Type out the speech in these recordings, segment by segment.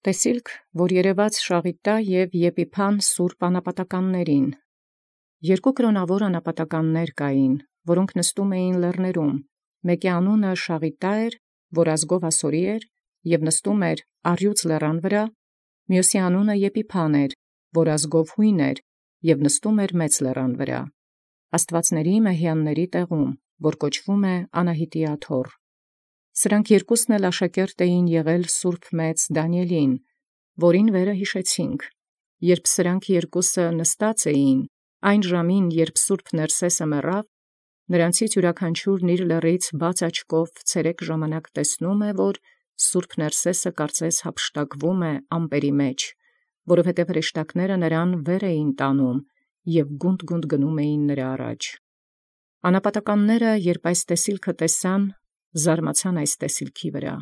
Տեսիլք, որ երևաց Շաղիտայ և Եփիփան սուրբ անապատականացն. երկու կրաւնաւոր անապատականներ կային, որք նստում էին լեռներում. մեկի անունն Շաղիտայ, որ ազգով ասորի էր, և նստում առյուծ լերան վրա, մյոսի անունն Եփիփան, որ ազգով յույն էր, և նստում մեծ լերան վրա, աստուածացն մեհյանացն տեղում, որ կոչվում Անահիտի աթոռ. Սրանք երկուքն էլ աշակերտ էին սուրբ մեծ Դանիէլին, որին յիշեցաք. երբ սրանք երկուքն նստած էին, այն ժամին, երբ սուրբ Ներսէսը մեռավ, յորոց յուրաքանչիւրն իր լեռից բաց աչքով ցերեկ ժամանակ տեսանէ, որ սուրբ Ներսէսը կարծես յափշտակվում ամպերի մեջ, որովհետև հրեշտակները վեր էին տանում և գունդ գնում էին առաջի նմա։ Անապատականները, երբ այս տեսիլքը տեսան, զարմացան այս տեսիլքի վրա.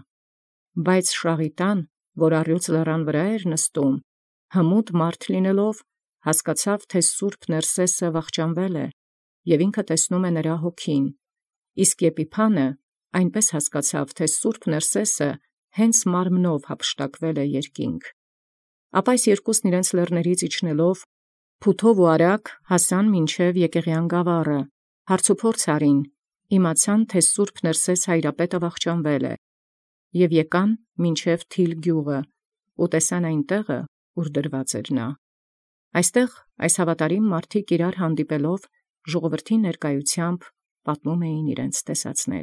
բայց Շաղիտան, որ առյուծ լերան վրա նստէր, հմուտ լինելով, հասկացաւ, թէ սուրբ Ներսէսը վախճանվել է, և ինքն տեսնում հոգին, իսկ Եփիփան այնպէս հասկացաւ, թէ սուրբ Ներսէսը հանդերձ մարմնով յափշտակվել է երկինք։ Ապա այս երկուքն իջան իջանէին լեռնացն, փութով և արագ հասանէին մինչև Եկեղեան գաւառը, հարցուփորձ առեալ, իմացան, թէ սուրբ Ներսէս հայրապետը վախճանվել է, և եկան մինչև Թիլ գիւղն, և տեսան անդ, ուր դրուած էր։ Անդ այս հաւատարիմ մարդիկ հանդիպելով ժողովրդին պատմէին զիւրեանց տեսելոցն։